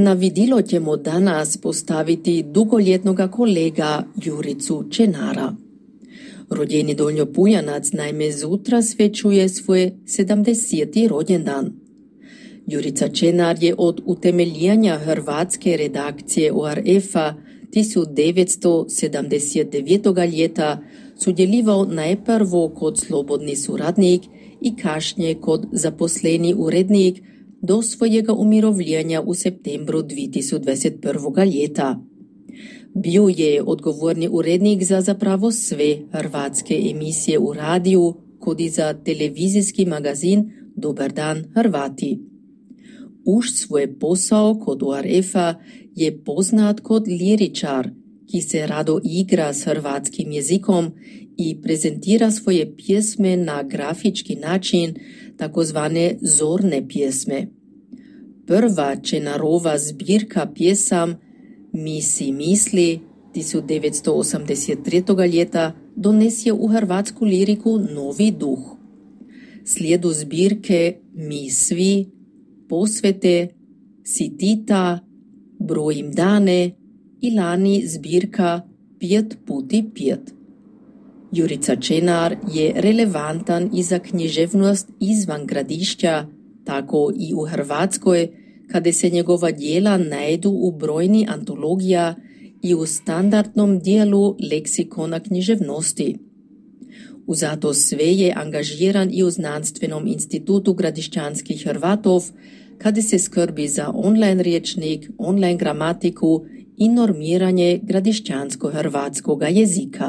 Na vidilo ćemo danas postaviti dugoljetnoga kolega Juricu Čenara. Rođeni Donjopujanac naime zutra svečuje svoj 70. rođendan. Jurica Čenar je od utemeljanja hrvatske redakcije ORF-a 1979. ljeta sudjelovao najprvo kod slobodni suradnik i kasnije kod zaposleni urednik do svojega umirovljenja u septembru 2021. ljeta. Bio je odgovorni urednik za zapravo sve hrvatske emisije u radiju, kod i za televizijski magazin Dobar dan Hrvati. Už svoj posao kod ORF-a je poznat kod liričar, ki se rado igra s hrvatskim jezikom i prezentira svoje pjesme na grafički način, takozvane zorne pjesme. Prva Čenarova zbirka pjesam Mi si misli 1983. ljeta donesje u hrvatsku liriku novi duh. Slijedu zbirke Mi svi, Posvete, Sitita, Brojim dane i lani zbirka 5x5. Jurica Čenar je relevantan i za književnost izvan gradišća, tako i u Hrvatskoj, kada se njegova djela najdu u brojni antologija i u standardnom dijelu leksikona književnosti. Uzato sve je angažiran i u Znanstvenom institutu gradišćanskih Hrvatov, kada se skrbi za online rječnik, online gramatiku i normiranje gradišćansko-hrvatskoga jezika.